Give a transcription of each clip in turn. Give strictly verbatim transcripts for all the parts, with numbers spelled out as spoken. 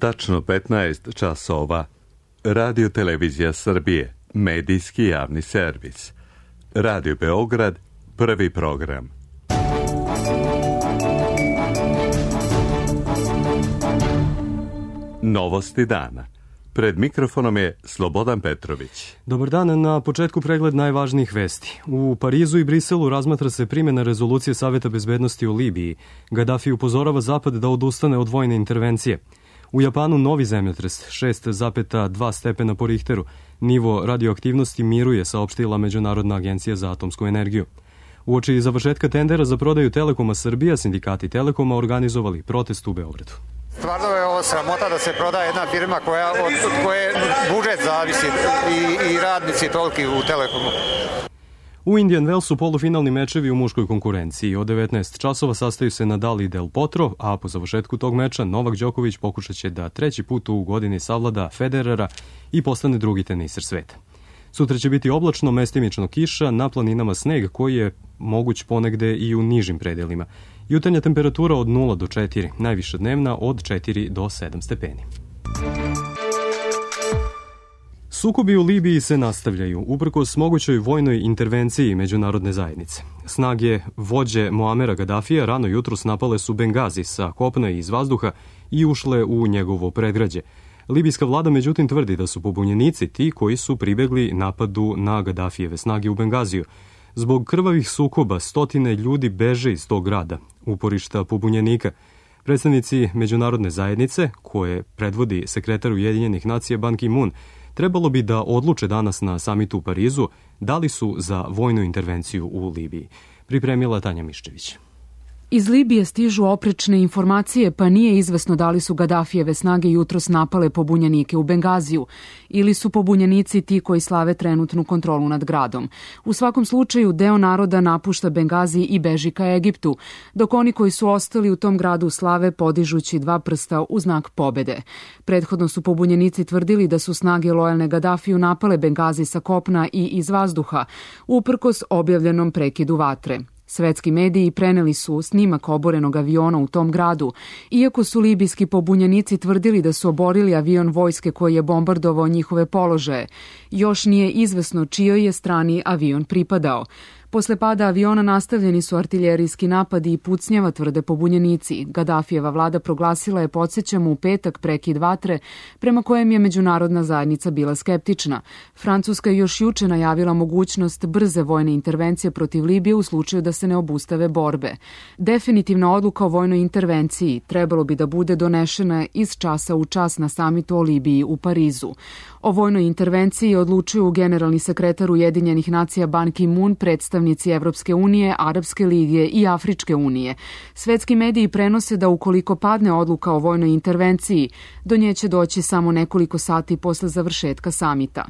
tačno petnaest časova. Radio Televizija Srbije, medijski javni servis. Radio Beograd, prvi program. Novosti dana. Pred mikrofonom je Slobodan Petrović. Dobar dan, na početku pregled najvažnijih vesti. U Parizu i Briselu razmatra se primjena rezolucije Saveta bezbednosti u Libiji. Gadafi upozorava Zapad da odustane od vojne intervencije. U Japanu novi zemljotres, šest zarez dva stepena po Richteru. Nivo radioaktivnosti miruje, saopštila Međunarodna agencija za atomsku energiju. Uoči završetka tendera za prodaju Telekoma Srbija, sindikati Telekoma organizovali protest u Beogradu. Stvarno je ovo sramota da se proda jedna firma koja, od, od koje budžet zavisi i, i radnici toliki u Telekomu. U Indian Wellsu polufinalni mečevi u muškoj konkurenciji. Od devetnaest časova sastaju se Nadal i Del Potro, a po završetku tog meča Novak Đoković pokušat će da treći put u godini savlada Federera i postane drugi teniser sveta. Sutra će biti oblačno, mestimično kiša, na planinama sneg koji je moguć ponegde i u nižim predelima. Jutarnja temperatura od nula do četiri, najviša dnevna od četiri do sedam stepeni. Sukobi u Libiji se nastavljaju, uprkos mogućoj vojnoj intervenciji međunarodne zajednice. Snage vođe Muamera Gadafija rano jutros napale su Bengazi sa kopna i iz vazduha i ušle u njegovo predgrađe. Libijska vlada međutim tvrdi da su pobunjenici ti koji su pribegli napadu na Gadafijeve snage u Bengaziju. Zbog krvavih sukoba stotine ljudi beže iz tog grada, uporišta pobunjenika. Predstavnici međunarodne zajednice, koje predvodi sekretar Ujedinjenih nacija Ban Ki-moon, trebalo bi da odluče danas na samitu u Parizu da li su za vojnu intervenciju u Libiji. Pripremila Tanja Miščević. Iz Libije stižu oprečne informacije, pa nije izvesno da li su Gadafijeve snage jutros napale pobunjenike u Bengaziju ili su pobunjenici ti koji slave trenutnu kontrolu nad gradom. U svakom slučaju, deo naroda napušta Bengazi i beži ka Egiptu, dok oni koji su ostali u tom gradu slave podižući dva prsta u znak pobede. Prethodno su pobunjenici tvrdili da su snage lojalne Gadafiju napale Bengazi sa kopna i iz vazduha, uprkos objavljenom prekidu vatre. Svetski mediji preneli su snimak oborenog aviona u tom gradu, iako su libijski pobunjenici tvrdili da su oborili avion vojske koji je bombardovao njihove položaje. Još nije izvesno čijoj je strani avion pripadao. Posle pada aviona nastavljeni su artiljerijski napadi i pucnjava, tvrde pobunjenici. Gadafijeva vlada proglasila je, podsjećamo, u petak prekid vatre, prema kojem je međunarodna zajednica bila skeptična. Francuska je još juče najavila mogućnost brze vojne intervencije protiv Libije u slučaju da se ne obustave borbe. Definitivna odluka o vojnoj intervenciji trebalo bi da bude donešena iz časa u čas na samitu o Libiji u Parizu. O vojnoj intervenciji odlučuju generalni sekretar Ujedinjenih nacija Ban Ki-moon, predstavnici Evropske unije, Arapske lige i Afričke unije. Svetski mediji prenose da ukoliko padne odluka o vojnoj intervenciji, do nje će doći samo nekoliko sati posle završetka samita.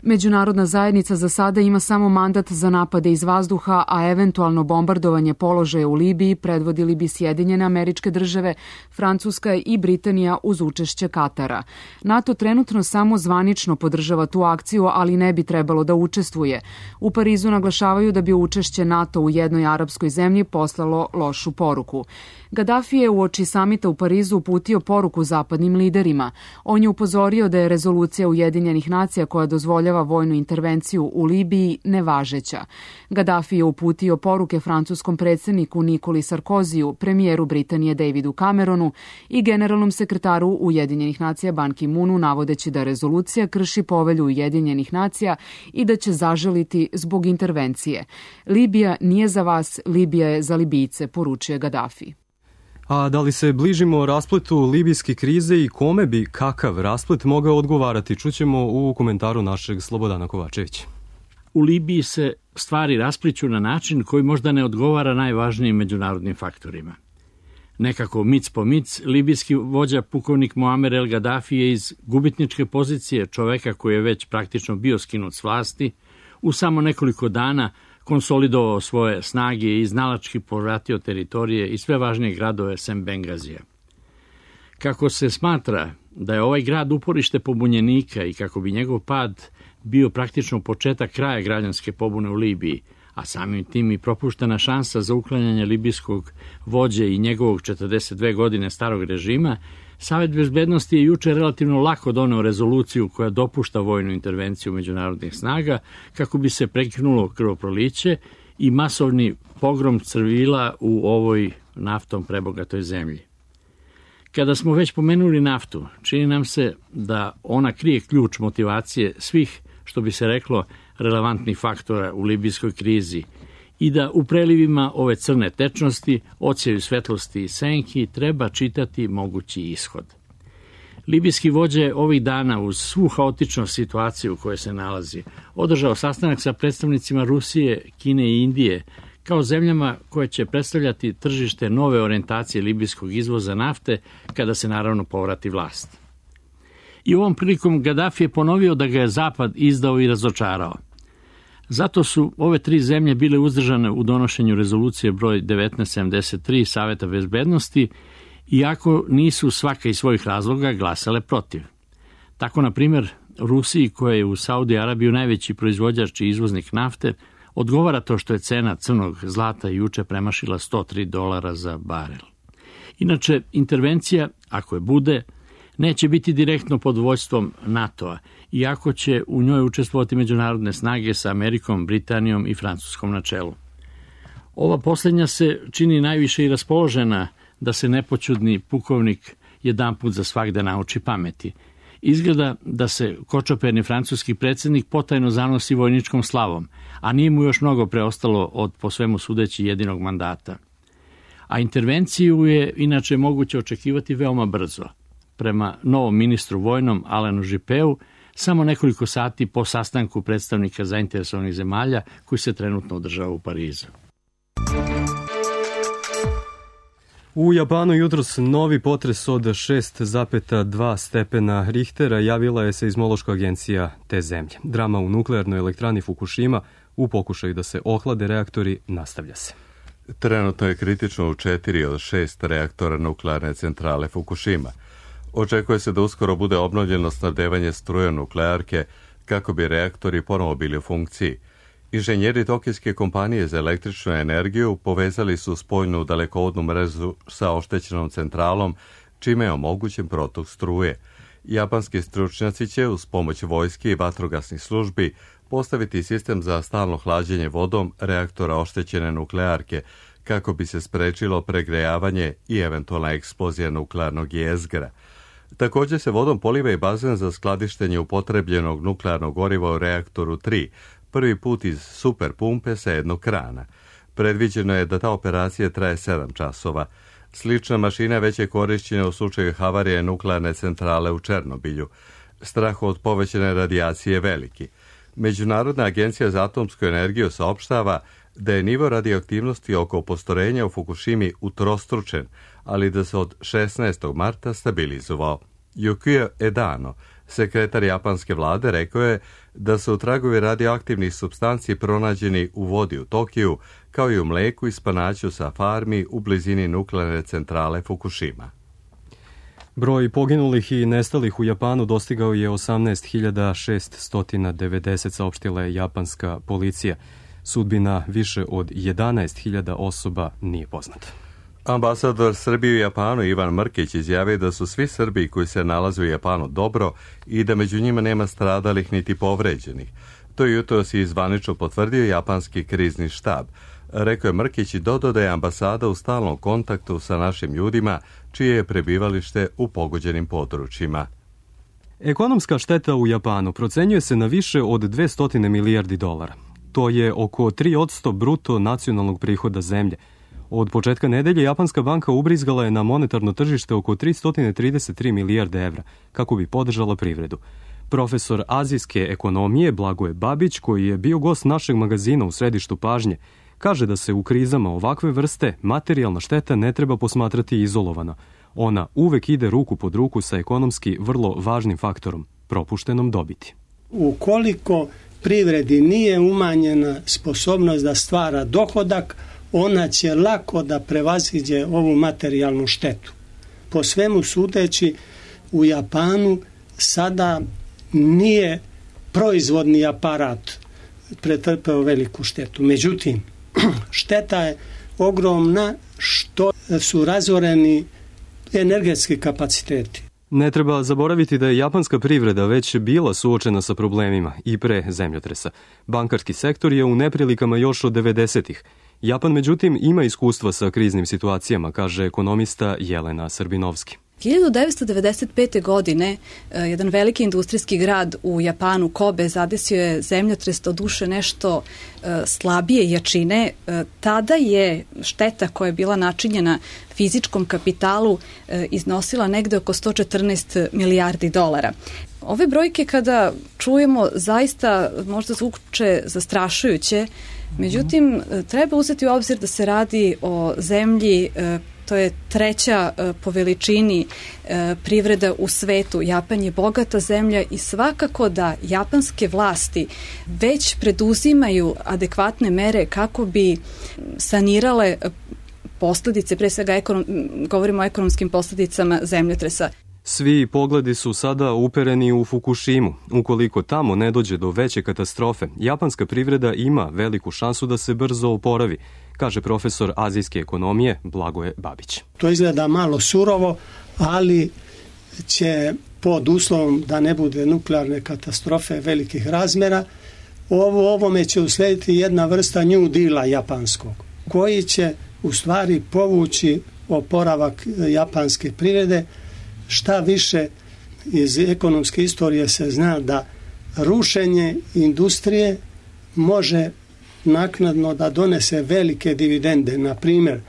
Međunarodna zajednica za sada ima samo mandat za napade iz vazduha, a eventualno bombardovanje položaja u Libiji predvodili bi Sjedinjene Američke Države, Francuska i Britanija uz učešće Katara. NATO trenutno samo zvanično podržava tu akciju, ali ne bi trebalo da učestvuje. U Parizu naglašavaju da bi učešće NATO u jednoj arapskoj zemlji poslalo lošu poruku. Gadafi je uoči samita u Parizu uputio poruku zapadnim liderima. On je upozorio da je rezolucija Ujedinjenih nacija koja dozvoljava vojnu intervenciju u Libiji nevažeća. Gadafi je uputio poruke francuskom predsjedniku Nikoli Sarkoziju, premijeru Britanije Davidu Cameronu i generalnom sekretaru Ujedinjenih nacija Ban Ki-moonu, navodeći da rezolucija krši povelju Ujedinjenih nacija i da će zažaliti zbog intervencije. Libija nije za vas, Libija je za Libijce, poručuje Gadafi. A da li se bližimo raspletu libijske krize i kome bi kakav rasplet mogao odgovarati, čućemo u komentaru našeg Slobodana Kovačevića. U Libiji se stvari raspliću na način koji možda ne odgovara najvažnijim međunarodnim faktorima. Nekako mic po mic, libijski vođa pukovnik Muamer el Gaddafi je iz gubitničke pozicije čoveka koji je već praktično bio skinut s vlasti, u samo nekoliko dana konsolidovao svoje snage i iznalački povratio teritorije i sve važnije gradove sem Bengazija. Kako se smatra da je ovaj grad uporište pobunjenika i kako bi njegov pad bio praktično početak kraja građanske pobune u Libiji, a samim tim i propuštena šansa za uklanjanje libijskog vođe i njegovog četrdeset dve godine starog režima, Savet bezbednosti je juče relativno lako doneo rezoluciju koja dopušta vojnu intervenciju međunarodnih snaga kako bi se prekinulo krvoproliće i masovni pogrom civila u ovoj naftom prebogatoj zemlji. Kada smo već pomenuli naftu, čini nam se da ona krije ključ motivacije svih, što bi se reklo, relevantnih faktora u libijskoj krizi i da u prelivima ove crne tečnosti, odsjaju svetlosti i senki, treba čitati mogući ishod. Libijski vođa je ovih dana uz svu haotičnost situacije u kojoj se nalazi održao sastanak sa predstavnicima Rusije, Kine i Indije kao zemljama koje će predstavljati tržište nove orijentacije libijskog izvoza nafte kada se naravno povrati vlast. I ovom prilikom Gaddafi je ponovio da ga je Zapad izdao i razočarao. Zato su ove tri zemlje bile uzdržane u donošenju rezolucije broj devetnaest sedamdeset tri Saveta bezbednosti, iako nisu svaka iz svojih razloga glasale protiv. Tako, na primjer, Rusiji, koja je u Saudi Arabiju najveći proizvođač i izvoznik nafte, odgovara to što je cena crnog zlata juče premašila sto tri dolara za barel. Inače, intervencija, ako je bude, neće biti direktno pod vođstvom NATO-a, iako će u njoj učestvovati međunarodne snage sa Amerikom, Britanijom i Francuskom na čelu. Ova posljednja se čini najviše i raspoložena da se nepoćudni pukovnik jedanput za svagda nauči pameti. Izgleda da se kočoperni francuski predsjednik potajno zanosi vojničkom slavom, a nije mu još mnogo preostalo od po svemu sudeći jedinog mandata. A intervenciju je inače moguće očekivati veoma brzo. Prema novom ministru vojnom Alanu Juppeu, samo nekoliko sati po sastanku predstavnika zainteresovanih zemalja koji se trenutno održava u Parizu. U Japanu jutros novi potres od šest zarez dva stepena Richtera javila je seizmološka agencija te zemlje. Drama u nuklearnoj elektrani Fukushima u pokušaju da se ohlade reaktori nastavlja se. Trenutno je kritično u četiri od šest reaktora nuklearne centrale Fukushima. Očekuje se da uskoro bude obnovljeno snabdevanje strujom nuklearke kako bi reaktori ponovo bili u funkciji. Inženjeri tokijske kompanije za električnu energiju povezali su spoljnu dalekovodnu mrežu sa oštećenom centralom, čime je omogućen protok struje. Japanski stručnjaci će uz pomoć vojske i vatrogasnih službi postaviti sistem za stalno hlađenje vodom reaktora oštećene nuklearke, kako bi se sprečilo pregrejavanje i eventualna eksplozija nuklearnog jezgra. Također se vodom poliva i bazen za skladištenje upotrebljenog nuklearnog goriva u reaktoru tri, prvi put iz super pumpe sa jednog krana. Predviđeno je da ta operacija traje sedam časova. Slična mašina već je korišćena u slučaju havarije nuklearne centrale u Černobilju. Strah od povećane radijacije je veliki. Međunarodna agencija za atomsku energiju saopštava da je nivo radioaktivnosti oko postrojenja u Fukushimi utrostručen, ali da se od šesnaestog marta stabilizovao. Yukio Edano, sekretar japanske vlade, rekao je da su tragovi radioaktivnih supstanci pronađeni u vodi u Tokiju, kao i u mleku i spanaću sa farmi u blizini nuklearne centrale Fukushima. Broj poginulih i nestalih u Japanu dostigao je osamnaest hiljada šeststo devedeset, saopštila je japanska policija. Sudbina više od jedanaest hiljada osoba nije poznata. Ambasador Srbije u Japanu Ivan Mrkić izjavio da su svi Srbi koji se nalaze u Japanu dobro i da među njima nema stradalih niti povređenih. To jutros je zvanično potvrdio japanski krizni štab. Rekao je Mrkić i dodao da je ambasada u stalnom kontaktu sa našim ljudima, čije je prebivalište u pogođenim područjima. Ekonomska šteta u Japanu procenjuje se na više od dvesta milijardi dolara. To je oko tri posto bruto nacionalnog prihoda zemlje. Od početka nedelje Japanska banka ubrizgala je na monetarno tržište oko tristo trideset tri milijarde evra kako bi podržala privredu. Profesor azijske ekonomije Blagoje Babić, koji je bio gost našeg magazina u središtu pažnje, kaže da se u krizama ovakve vrste materijalna šteta ne treba posmatrati izolovano. Ona uvek ide ruku pod ruku sa ekonomski vrlo važnim faktorom, propuštenom dobiti. Ukoliko privredi nije umanjena sposobnost da stvara dohodak, ona će lako da prevaziđe ovu materijalnu štetu. Po svemu sudeći, u Japanu sada nije proizvodni aparat pretrpeo veliku štetu. Međutim, šteta je ogromna što su razoreni energetski kapaciteti. Ne treba zaboraviti da je japanska privreda već bila suočena sa problemima i pre zemljotresa. Bankarski sektor je u neprilikama još od devedesetih. Japan, međutim, ima iskustva sa kriznim situacijama, kaže ekonomista Jelena Srbinovski. hiljadu devetsto devedeset pete. godine jedan veliki industrijski grad u Japanu, Kobe, zadesio je zemljotres, do duše nešto slabije jačine. Tada je šteta koja je bila načinjena fizičkom kapitalu iznosila negde oko sto četrnaest milijardi dolara. Ove brojke kada čujemo zaista možda zvuče zastrašujuće, međutim treba uzeti u obzir da se radi o zemlji, to je treća po veličini privreda u svetu. Japan je bogata zemlja i svakako da japanske vlasti već preduzimaju adekvatne mere kako bi sanirale posledice, pre svega ekonom, govorimo o ekonomskim posledicama zemljotresa. Svi pogledi su sada upereni u Fukushimu. Ukoliko tamo ne dođe do veće katastrofe, japanska privreda ima veliku šansu da se brzo oporavi, kaže profesor azijske ekonomije Blagoje Babić. To izgleda malo surovo, ali će pod uslovom da ne bude nuklearne katastrofe velikih razmera, ovo, ovome će uslediti jedna vrsta New Deala japanskog, koji će u stvari povući oporavak japanske privrede. Šta više, iz ekonomske istorije se zna da rušenje industrije može naknadno da donese velike dividende. Na primjer,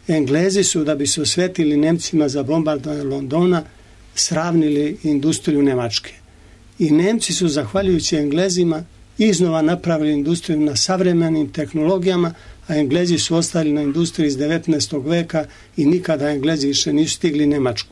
Englezi su, da bi se osvetili Nemcima za bombardovanje Londona, sravnili industriju Nemačke. I Nemci su, zahvaljujući Englezima, iznova napravili industriju na savremenim tehnologijama, a Englezi su ostali na industriji iz devetnaestog veka i nikada Englezi više nisu stigli Nemačku.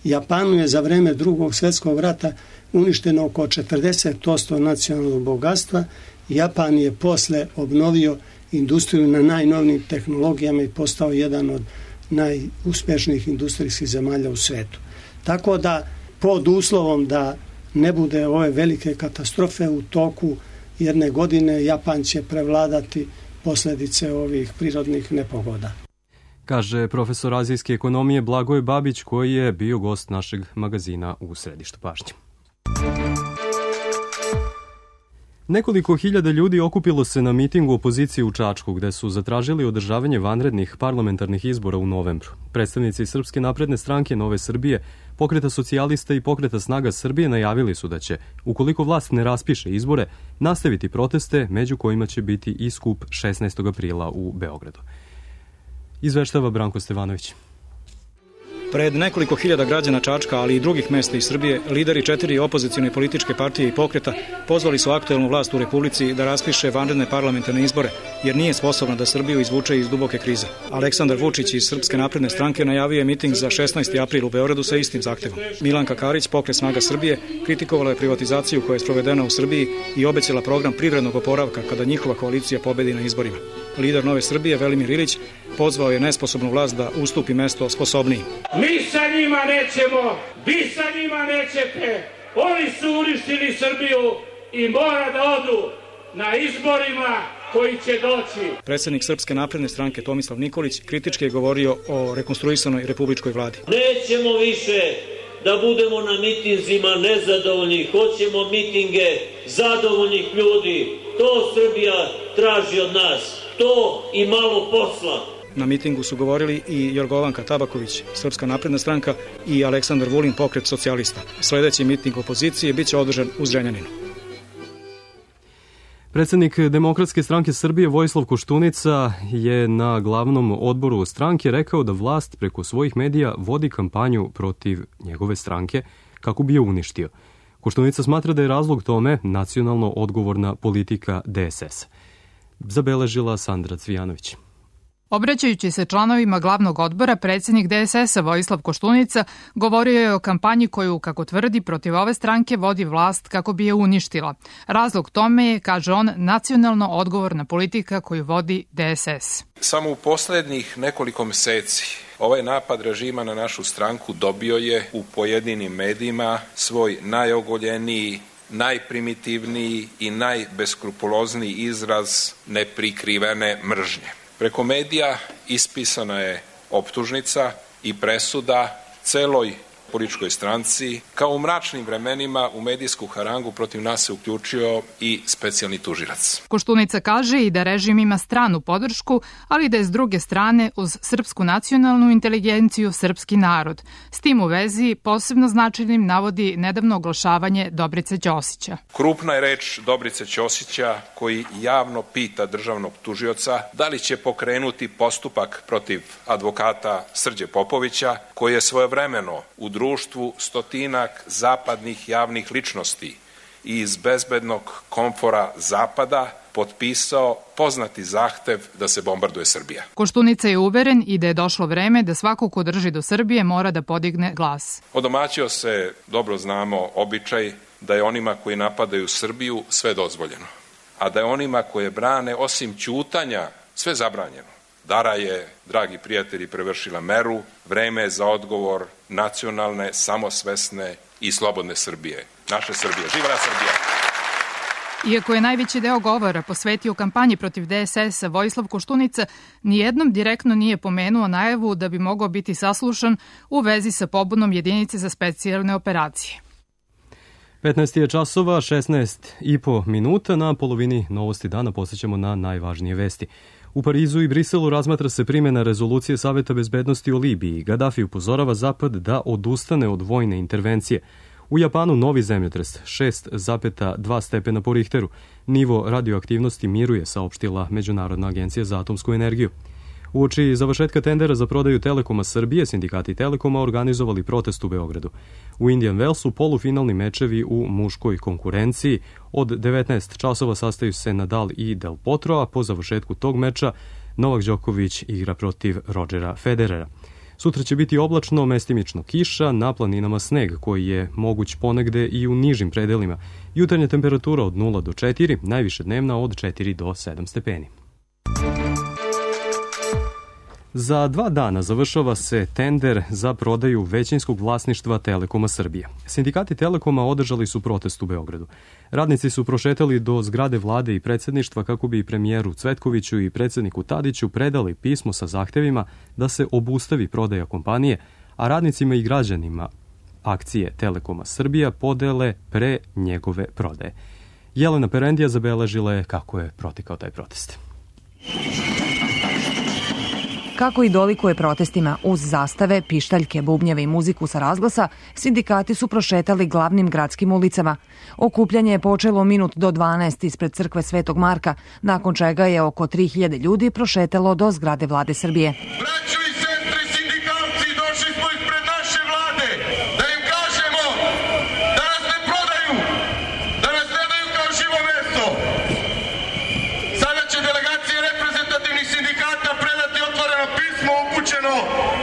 Japanu je za vreme drugog svjetskog rata uništeno oko četrdeset posto nacionalnog bogatstva. Japan je posle obnovio industriju na najnovnijim tehnologijama i postao jedan od najuspešnijih industrijskih zemalja u svetu. Tako da, pod uslovom da ne bude ove velike katastrofe u toku jedne godine, Japan će prevladati posljedice ovih prirodnih nepogoda, kaže profesor azijske ekonomije Blagoje Babić, koji je bio gost našeg magazina U središtu pažnje. Nekoliko hiljada ljudi okupilo se na mitingu opozicije u Čačku, gde su zatražili održavanje vanrednih parlamentarnih izbora u novembru. Predstavnici Srpske napredne stranke Nove Srbije, Pokreta socijalista i Pokreta snaga Srbije najavili su da će, ukoliko vlast ne raspiše izbore, nastaviti proteste, među kojima će biti i skup šesnaestog aprila u Beogradu. Izveštava Branko Stevanović. Pred nekoliko hiljada građana Čačka, ali i drugih mesta iz Srbije, lideri četiri opozicione političke partije i pokreta pozvali su aktuelnu vlast u Republici da raspiše vanredne parlamentarne izbore, jer nije sposobna da Srbiju izvuče iz duboke krize. Aleksandar Vučić iz Srpske napredne stranke najavio je miting za šesnaesti april u Beogradu sa istim zahtevom. Milanka Karić, Pokret snaga Srbije, kritikovala je privatizaciju koja je sprovedena u Srbiji i obećala program privrednog oporavka kada njihova koalicija pobedi na izborima. Lider Nove Srbije, Velimir Ilić, pozvao je nesposobnu vlast da ustupi mesto sposobniji. Mi sa njima nećemo, vi sa njima nećete, oni su uništili Srbiju i mora da odu na izborima koji će doći. Predsjednik Srpske napredne stranke Tomislav Nikolić kritički je govorio o rekonstruisanoj republičkoj vladi. Nećemo više da budemo na mitinzima nezadovoljni, hoćemo mitinge zadovoljnih ljudi. To Srbija traži od nas, to i malo posla. Na mitingu su govorili i Jorgovanka Tabaković, Srpska napredna stranka, i Aleksandar Vulin, Pokret socijalista. Sljedeći miting opozicije biće održan u Zrenjaninu. Predsjednik Demokratske stranke Srbije Vojislav Koštunica je na glavnom odboru stranke rekao da vlast preko svojih medija vodi kampanju protiv njegove stranke kako bi je uništio. Koštunica smatra da je razlog tome nacionalno odgovorna politika D S S. Zabeležila Sandra Cvijanović. Obraćajući se članovima glavnog odbora, predsjednik D S S-a Vojislav Koštunica govorio je o kampanji koju, kako tvrdi, protiv ove stranke vodi vlast kako bi je uništila. Razlog tome je, kaže on, nacionalno odgovorna politika koju vodi D S S. Samo u poslednjih nekoliko meseci ovaj napad režima na našu stranku dobio je u pojedinim medijima svoj najogoljeniji, najprimitivniji i najbeskrupulozniji izraz neprikrivene mržnje. Preko medija ispisana je optužnica i presuda celoj političkoj stranci. Kao u mračnim vremenima u medijsku harangu protiv nas se uključio i specijalni tužilac. Koštunica kaže i da režim ima stranu podršku, ali da je s druge strane uz srpsku nacionalnu inteligenciju srpski narod. S tim u vezi posebno značajnim navodi nedavno oglašavanje Dobrice Ćosića. Krupna je reč Dobrice Ćosića koji javno pita državnog tužioca da li će pokrenuti postupak protiv advokata Srđe Popovića koji je svojevremeno u društvu stotinak zapadnih javnih ličnosti i iz bezbednog komfora Zapada potpisao poznati zahtev da se bombarduje Srbija. Koštunica je uveren i da je došlo vreme da svako ko drži do Srbije mora da podigne glas. Odomaćio se, dobro znamo, običaj da je onima koji napadaju Srbiju sve dozvoljeno, a da je onima koje brane osim ćutanja sve zabranjeno. Dara je, dragi prijatelji, prevršila meru, vreme je za odgovor nacionalne, samosvesne i slobodne Srbije. Naše Srbije. Živela Srbija! Iako je najveći deo govora posvetio kampanji protiv D S S-a, Vojislav Koštunica nijednom direktno nije pomenuo najavu da bi mogao biti saslušan u vezi sa pobunom jedinice za specijalne operacije. petnaest je časova, šesnaest i po minuta. Na polovini novosti dana posjećamo na najvažnije vesti. U Parizu i Briselu razmatra se primjena rezolucije Saveta bezbednosti o Libiji. Gadafi upozorava Zapad da odustane od vojne intervencije. U Japanu novi zemljotres, šest zarez dva stepena po Richteru. Nivo radioaktivnosti miruje, saopštila Međunarodna agencija za atomsku energiju. Uoči završetka tendera za prodaju Telekoma Srbije, sindikati Telekoma organizovali protest u Beogradu. U Indian Wellsu polufinalni mečevi u muškoj konkurenciji. Od devetnaest časova sastaju se Nadal i Del Potro, a po završetku tog meča Novak Đoković igra protiv Rodgera Federera. Sutra će biti oblačno, mestimično kiša, na planinama sneg koji je moguć ponegde i u nižim predelima. Jutarnja temperatura od nula do četiri, najviše dnevna od četiri do sedam stepeni. Za dva dana završava se tender za prodaju većinskog vlasništva Telekoma Srbije. Sindikati Telekoma održali su protest u Beogradu. Radnici su prošetali do zgrade vlade i predsjedništva kako bi premijeru Cvetkoviću i predsjedniku Tadiću predali pismo sa zahtevima da se obustavi prodaja kompanije, a radnicima i građanima akcije Telekoma Srbija podele pre njegove prodaje. Jelena Perendija zabeležila je kako je protekao taj protest. Kako i dolikuje protestima uz zastave, pištaljke, bubnjeve i muziku sa razglasa, sindikati su prošetali glavnim gradskim ulicama. Okupljanje je počelo minut do dvanaest ispred crkve Svetog Marka, nakon čega je oko tri hiljade ljudi prošetalo do zgrade vlade Srbije. Braćo i sestre sindikalci, došli smo ispred naše vlade da im kažemo da nas ne prodaju, da nas ne daju kao živo meso. Sada će delegacije reprezentativnih sindikata predati otvoreno pismo upućeno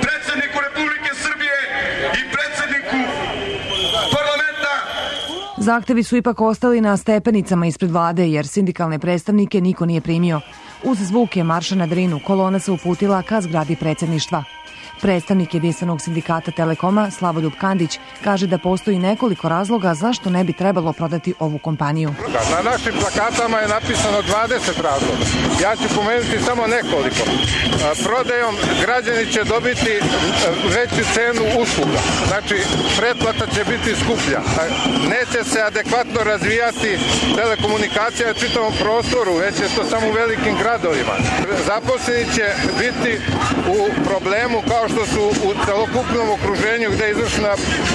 predsjedniku Republike Srbije i predsjedniku parlamenta. Zahtevi su ipak ostali na stepenicama ispred vlade jer sindikalne predstavnike niko nije primio. Uz zvuke marša na Drinu kolona se uputila ka zgradi predsjedništva. Predstavnik jedinstvenog sindikata Telekoma Slavoljub Kandić kaže da postoji nekoliko razloga zašto ne bi trebalo prodati ovu kompaniju. Na našim plakatama je napisano dvadeset razloga. Ja ću pomenuti samo nekoliko. Prodajom građani će dobiti veću cenu usluga. Znači, pretplata će biti skuplja. Neće se adekvatno razvijati telekomunikacija u čitavom prostoru, već je to samo u velikim gradovima. Zaposleni će biti u problemu kao što su u celokupnom okruženju gde je izvršena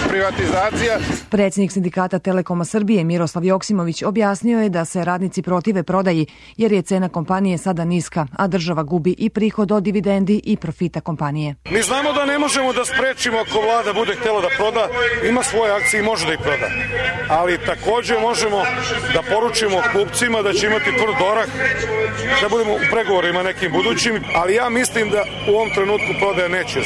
privatizacija. Predsjednik sindikata Telekoma Srbije Miroslav Joksimović objasnio je da se radnici protive prodaji jer je cena kompanije sada niska, a država gubi i prihod od dividendi i profita kompanije. Mi znamo da ne možemo da sprečimo ako vlada bude htjela da proda, ima svoje akcije i može da ih proda. Ali također možemo da poručimo kupcima da će imati tvrd orah, da budemo u pregovorima nekim budućim, ali ja mislim da u ovom trenutku prodaja neće.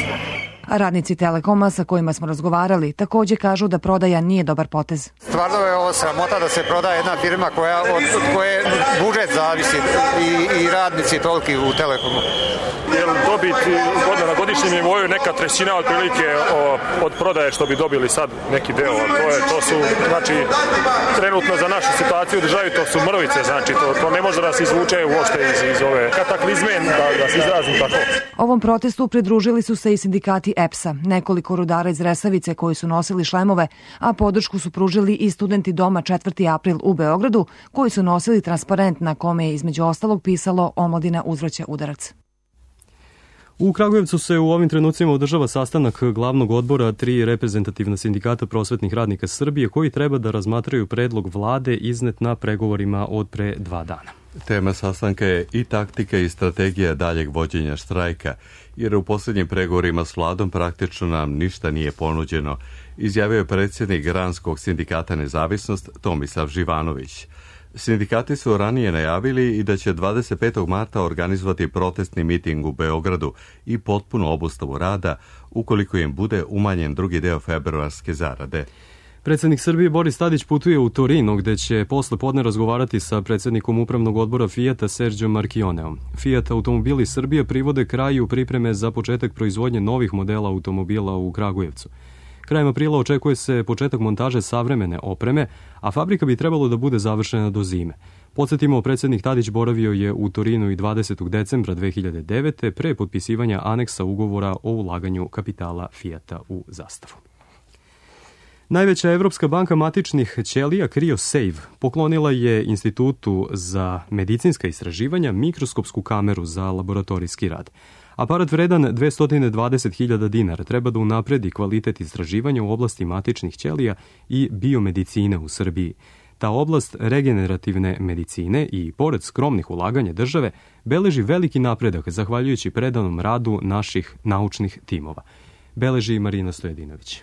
A radnici Telekoma sa kojima smo razgovarali također kažu da prodaja nije dobar potez. Stvarno je ovo sramota da se prodaje jedna firma koja, od, od koje budžet zavisi i, i radnici toliki u Telekomu. jer dobit na godišnjem nivou je neka trećina otprilike od prodaje što bi dobili sad neki deo. To, je, to su, znači, trenutno za našu situaciju u državi to su mrvice, znači to, to ne može da se izvuče uopšte iz, iz ove kataklizme, da, da se izrazim tako. Ovom protestu pridružili su se i sindikati E P S-a, nekoliko rudara iz Resavice koji su nosili šlemove, a podršku su pružili i studenti Doma četvrti april u Beogradu, koji su nosili transparent na kome je između ostalog pisalo "Omladina uzvraća udarac". U Kragujevcu se u ovim trenucima održava sastanak glavnog odbora tri reprezentativna sindikata prosvetnih radnika Srbije koji treba da razmatraju predlog vlade iznet na pregovorima od pre dva dana. Tema sastanka je i taktika i strategija daljeg vođenja štrajka, jer u posljednjim pregovorima s vladom praktično nam ništa nije ponuđeno, izjavio je predsjednik Granskog sindikata Nezavisnost Tomislav Živanović. Sindikati su ranije najavili i da će dvadeset petog marta organizovati protestni miting u Beogradu i potpunu obustavu rada ukoliko im bude umanjen drugi deo februarske zarade. Predsjednik Srbije Boris Tadić putuje u Torino, gde će posle podne razgovarati sa predsjednikom upravnog odbora Fijata Serđom Marchioneom. Fiat Automobili Srbije privode kraju pripreme za početak proizvodnje novih modela automobila u Kragujevcu. Krajem aprila očekuje se početak montaže savremene opreme, a fabrika bi trebalo da bude završena do zime. Podsjetimo, predsjednik Tadić boravio je u Torinu i dvadesetog decembra dve hiljade devete. pre potpisivanja aneksa ugovora o ulaganju kapitala Fijata u Zastavu. Najveća evropska banka matičnih ćelija CryoSave poklonila je Institutu za medicinska istraživanja mikroskopsku kameru za laboratorijski rad. Aparat vredan dvesta dvadeset hiljada dinara treba da unapredi kvalitet istraživanja u oblasti matičnih ćelija i biomedicine u Srbiji. Ta oblast regenerativne medicine i, pored skromnih ulaganja države, beleži veliki napredak zahvaljujući predanom radu naših naučnih timova. Beleži Marina Stojedinović.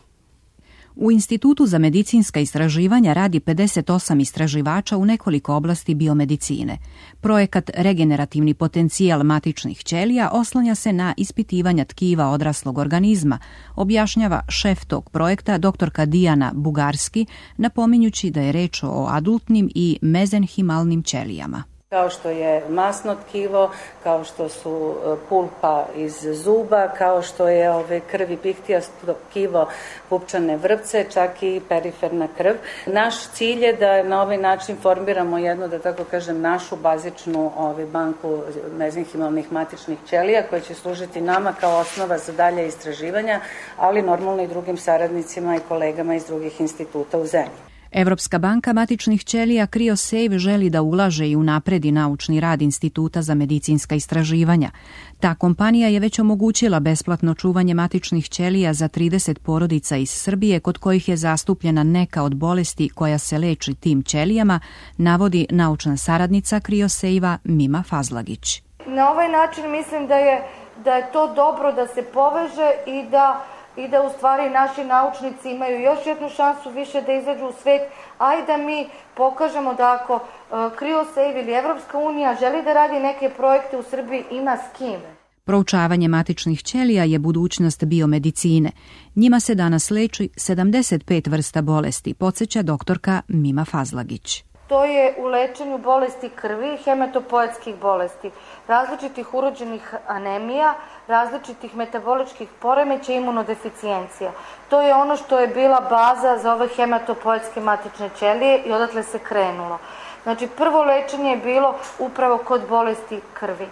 U Institutu za medicinska istraživanja radi pedeset osam istraživača u nekoliko oblasti biomedicine. Projekat Regenerativni potencijal matičnih ćelija oslanja se na ispitivanja tkiva odraslog organizma, objašnjava šef tog projekta doktorka Dijana Bugarski, napominjući da je reč o adultnim i mezenhimalnim ćelijama. Kao što je masno tkivo, kao što su pulpa iz zuba, kao što je ove krvi pihtijasto tkivo pupčane vrpce, čak i periferna krv. Naš cilj je da na ovaj način formiramo jednu, da tako kažem, našu bazičnu ove, banku mezenhimalnih matičnih ćelija koja će služiti nama kao osnova za dalje istraživanja, ali normalno i drugim saradnicima i kolegama iz drugih instituta u zemlji. Evropska banka matičnih ćelija CryoSave želi da ulaže i unapredi naučni rad Instituta za medicinska istraživanja. Ta kompanija je već omogućila besplatno čuvanje matičnih ćelija za trideset porodica iz Srbije kod kojih je zastupljena neka od bolesti koja se leči tim ćelijama, navodi naučna saradnica CryoSave-a Mima Fazlagić. Na ovaj način mislim da je, da je to dobro da se poveže i da i da u stvari naši naučnici imaju još jednu šansu više da izađu u svet, a i da mi pokažemo da ako uh, CryoSave ili Evropska unija želi da radi neke projekte u Srbiji, ima s kime. Proučavanje matičnih ćelija je budućnost biomedicine. Njima se danas leči sedamdeset pet vrsta bolesti, podsjeća doktorka Mima Fazlagić. To je u lečenju bolesti krvi, hematopoetskih bolesti, različitih urođenih anemija, različitih metaboličkih poremeća i imunodeficijencija. To je ono što je bila baza za ove hematopoetske matične ćelije i odatle se krenulo. Znači, prvo lečenje je bilo upravo kod bolesti krvi.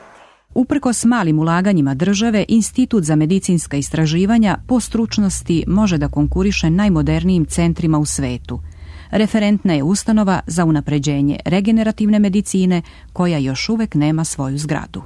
Uprkos malim ulaganjima države, Institut za medicinska istraživanja po stručnosti može da konkuriše najmodernijim centrima u svetu. Referentna je ustanova za unapređenje regenerativne medicine koja još uvek nema svoju zgradu.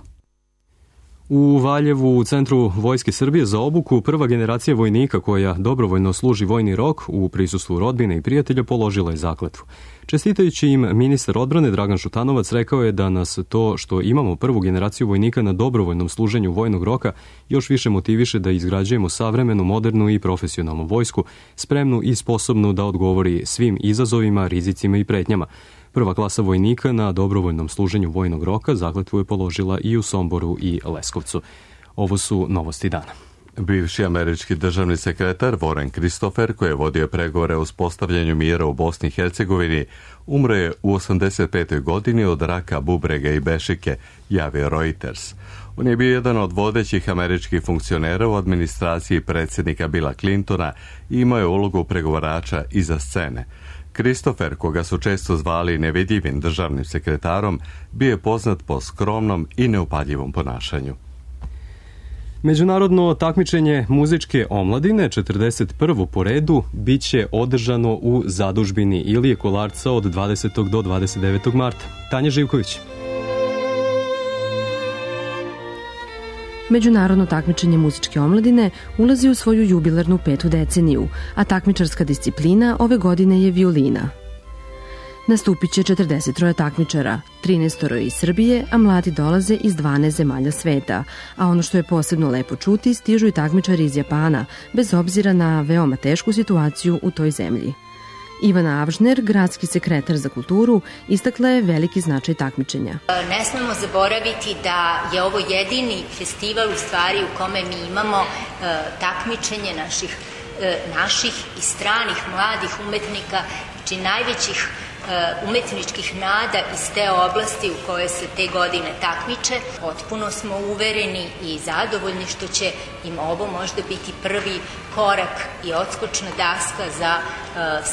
U Valjevu, u Centru Vojske Srbije za obuku, prva generacija vojnika koja dobrovoljno služi vojni rok u prisustvu rodbine i prijatelja položila je zakletvu. Čestitajući im, ministar odbrane Dragan Šutanovac rekao je da nas to što imamo prvu generaciju vojnika na dobrovoljnom služenju vojnog roka još više motiviše da izgrađujemo savremenu, modernu i profesionalnu vojsku, spremnu i sposobnu da odgovori svim izazovima, rizicima i pretnjama. Prva klasa vojnika na dobrovoljnom služenju vojnog roka zakletvu je položila i u Somboru i Leskovcu. Ovo su novosti dana. Bivši američki državni sekretar Warren Christopher, koji je vodio pregovore o uspostavljanju mira u Bosni i Hercegovini, umro je u osamdeset petoj godini od raka bubrega i bešike, javio Reuters. On je bio jedan od vodećih američkih funkcionera u administraciji predsjednika Billa Clintona i imao je ulogu pregovarača iza scene. Christopher, koga su često zvali nevidljivim državnim sekretarom, bio je poznat po skromnom i neupadljivom ponašanju. Međunarodno takmičenje muzičke omladine, četrdeset prvo po redu, bit će održano u zadužbini Ilije Kolarca od dvadesetog do dvadeset devetog marta. Tanja Živković. Međunarodno takmičenje muzičke omladine ulazi u svoju jubilarnu petu deceniju, a takmičarska disciplina ove godine je violina. Nastupit će četrdeset troje takmičara, trinaest iz Srbije, a mladi dolaze iz dvanaest zemalja sveta, a ono što je posebno lepo čuti, stižu i takmičari iz Japana, bez obzira na veoma tešku situaciju u toj zemlji. Ivana Avžner, gradski sekretar za kulturu, istakla je veliki značaj takmičenja. Ne smemo zaboraviti da je ovo jedini festival u stvari u kome mi imamo e, takmičenje naših, e, naših i stranih mladih umetnika, znači najvećih umetničkih nada iz te oblasti u kojoj se te godine takmiče. Potpuno smo uvereni i zadovoljni što će im ovo možda biti prvi korak i odskočna daska za uh,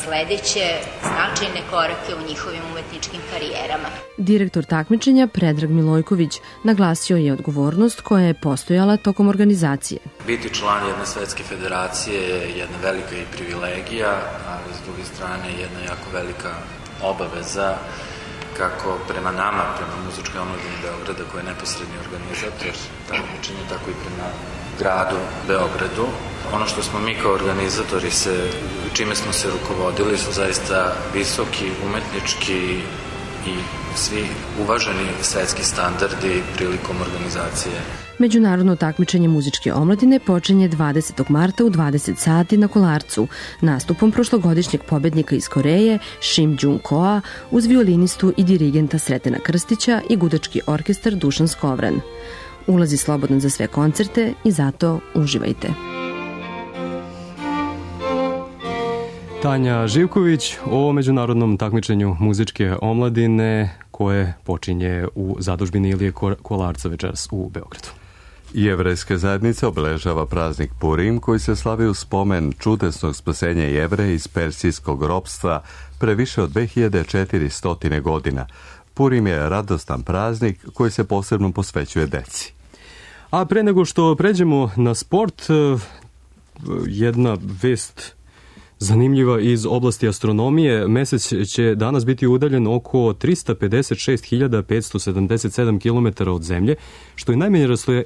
sledeće značajne korake u njihovim umetničkim karijerama. Direktor takmičenja Predrag Milojković naglasio je odgovornost koja je postojala tokom organizacije. Biti član jedne svetske federacije je jedna velika i privilegija, ali s druge strane jedna jako velika obaveza kako prema nama, prema muzičkoj omladini Beograda koji je neposredni organizator takmičenja, tako i prema gradu Beogradu. Ono što smo mi kao organizatori se, čime smo se rukovodili su zaista visoki umetnički i svi uvaženi svetski standardi prilikom organizacije. Međunarodno takmičenje muzičke omladine počinje dvadesetog marta u dvadeset sati na Kolarcu, nastupom prošlogodišnjeg pobednika iz Koreje Shim Jung Koa uz violinistu i dirigenta Sretena Krstića i gudački orkestar Dušan Skovran. Ulazi slobodan za sve koncerte i zato uživajte. Tanja Živković o međunarodnom takmičenju muzičke omladine koje počinje u zadužbini Ilije Kolarca večeras u Beogradu. Jevrejska zajednica obeležava praznik Purim koji se slavi u spomen čudesnog spasenja Jevreja iz persijskog ropstva pre više od dve hiljade četiristo godina. Purim je radostan praznik koji se posebno posvećuje deci. A pre nego što pređemo na sport, jedna vest zanimljiva iz oblasti astronomije. Mesec će danas biti udaljen oko trista pedeset šest hiljada petsto sedamdeset sedam kilometara od Zemlje, što je najmanje, rastoja,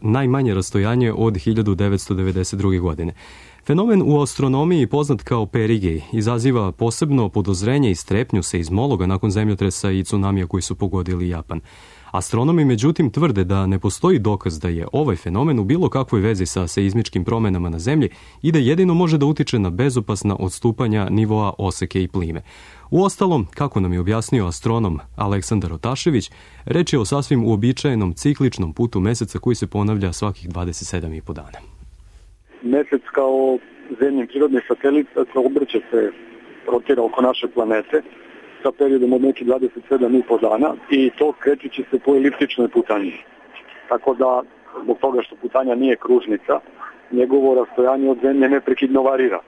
najmanje rastojanje od hiljadu devetsto devedeset druge. godine. Fenomen u astronomiji poznat kao perigej izaziva posebno podozrenje i strepnju seizmologa nakon zemljotresa i tsunamija koji su pogodili Japan. Astronomi međutim tvrde da ne postoji dokaz da je ovaj fenomen u bilo kakvoj vezi sa seizmičkim promenama na Zemlji i da jedino može da utiče na bezopasna odstupanja nivoa oseke i plime. Uostalom, kako nam je objasnio astronom Aleksandar Otašević, reč je o sasvim uobičajenom cikličnom putu meseca koji se ponavlja svakih dvadeset sedam i po dana. Mesec kao zemljin prirodni satelit obrće se, rotira oko naše planete sa periodom od nekih dvadeset sedam i po dana i to krećući se po eliptičnoj putanji. Tako da, zbog toga što putanja nije kružnica, njegovo rastojanje od Zemlje neprekidno varira.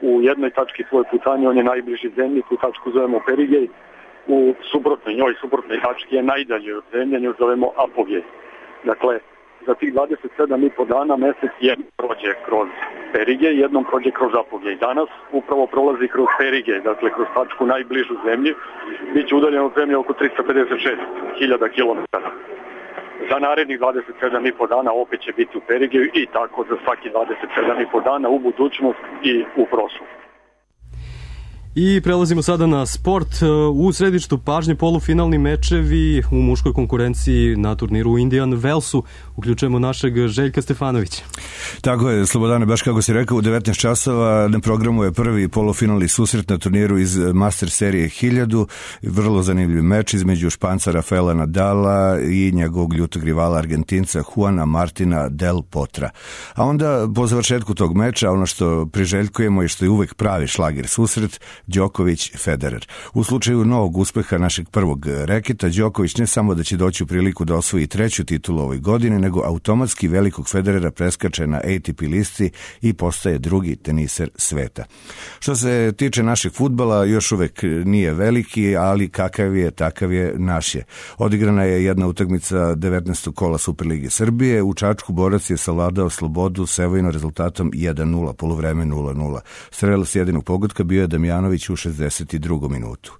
U jednoj tački svoje putanje on je najbliži Zemlji, tu tačku zovemo perigej, u suprotnoj, njoj suprotnoj tački je najdalje od Zemlje, nju zovemo apogej. Dakle, za tih dvadeset sedam i po dana mesec jednom prođe kroz perigej, jednom prođe kroz apogej. Danas upravo prolazi kroz perigej, dakle kroz tačku najbližu Zemlji, bit će udaljen od Zemlje oko trista pedeset šest hiljada kilometara. Za narednih dvadeset sedam i po dana opet će biti u perigeju i tako za svaki dvadeset sedam i po dana u budućnost i u prošlost. I prelazimo sada na sport. U središtu pažnje polufinalni mečevi u muškoj konkurenciji na turniru u Indian Wellsu Uključujemo našeg Željka Stefanovića. Tako je, Slobodane, baš kako si rekao, u devetnaest časova na programu je prvi polufinalni susret na turniru iz Master serije hiljadu. Vrlo zanimljiv meč između Španca Rafaela Nadala i njegovog ljutog rivala Argentinca Juana Martina del Potra. A onda, po završetku tog meča, ono što priželjkujemo i što je uvek pravi šlager susret, Đoković-Federer. U slučaju novog uspeha našeg prvog reketa, Đoković ne samo da će doći u priliku da osvoji treću titulu ovoj godine, nego automatski velikog Federera preskače na A T P listi i postaje drugi teniser sveta. Što se tiče našeg fudbala, još uvek nije veliki, ali kakav je, takav je naš je. Odigrana je jedna utakmica devetnaestog kola Superlige Srbije. U Čačku borac je savladao Slobodu Sevojno rezultatom jedan nula, poluvreme nula nula. Strelac jedinog pogotka bio je Damjanović u šezdeset drugom minutu.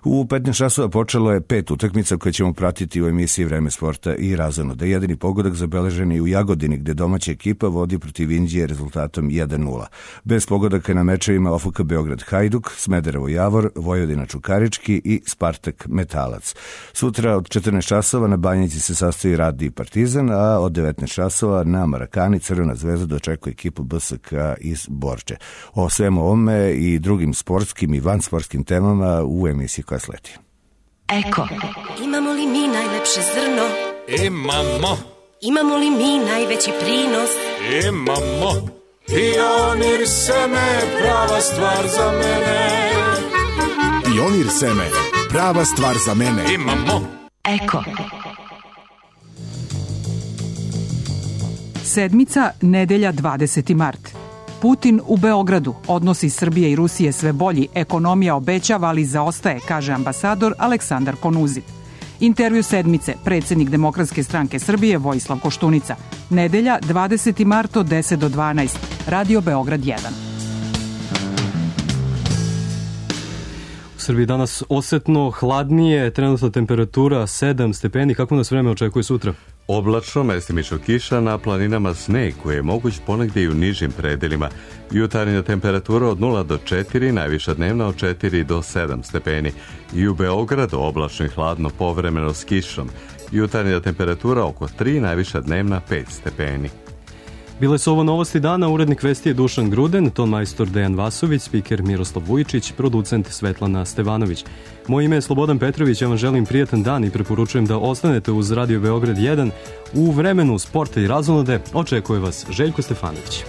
U petnaest časova počelo je pet utakmica koje ćemo pratiti u emisiji Vreme sporta i razonoda. Jedini pogodak zabeležen je u Jagodini, gde domaća ekipa vodi protiv Inđije rezultatom jedan nula. Bez pogodaka na mečevima O F K Beograd Hajduk, Smederevo Javor, Vojvodina Čukarički i Spartak Metalac. Sutra od četrnaest časova na Banjici se sastoji Radi i Partizan, a od devetnaest časova na Marakani Crvena zvezda dočekuje ekipu B S K iz Borče. O svemu ovome i drugim sportskim i vansportskim temama u emisiji koja sledi. Eko. Imamo li mi najlepše zrno? Imamo. Imamo li mi najveći prinos? Imamo. Pionir seme, prava stvar za mene. Pionir seme, prava stvar za mene. Imamo. Eko. Sedmica, nedelja dvadeseti mart. Putin u Beogradu, odnosi Srbije i Rusije sve bolji, ekonomija obećava, ali zaostaje, kaže ambasador Aleksandar Konuzin. Intervju sedmice, predsjednik Demokratske stranke Srbije Vojislav Koštunica. Nedelja, dvadeseti mart od deset do dvanaest, Radio Beograd jedan. U Srbiji danas osetno hladnije, trenutna temperatura sedam stepeni. Kako nas vreme očekuje sutra? Oblačno, mestimično kiša, na planinama sneg koji je moguć ponegdje i u nižim predelima. Jutarnja temperatura od nula do četiri, najviša dnevna od četiri do sedam stepeni. I u Beogradu oblačno i hladno, povremeno s kišom. Jutarnja temperatura oko tri, najviša dnevna pet stepeni. Bile su ovo novosti dana, urednik vesti je Dušan Gruden, ton majstor Dejan Vasović, spiker Miroslav Vujičić, producent Svetlana Stevanović. Moje ime je Slobodan Petrović, ja vam želim prijatan dan i preporučujem da ostanete uz Radio Beograd jedan. U vremenu sporta i razonode očekuje vas Željko Stefanović.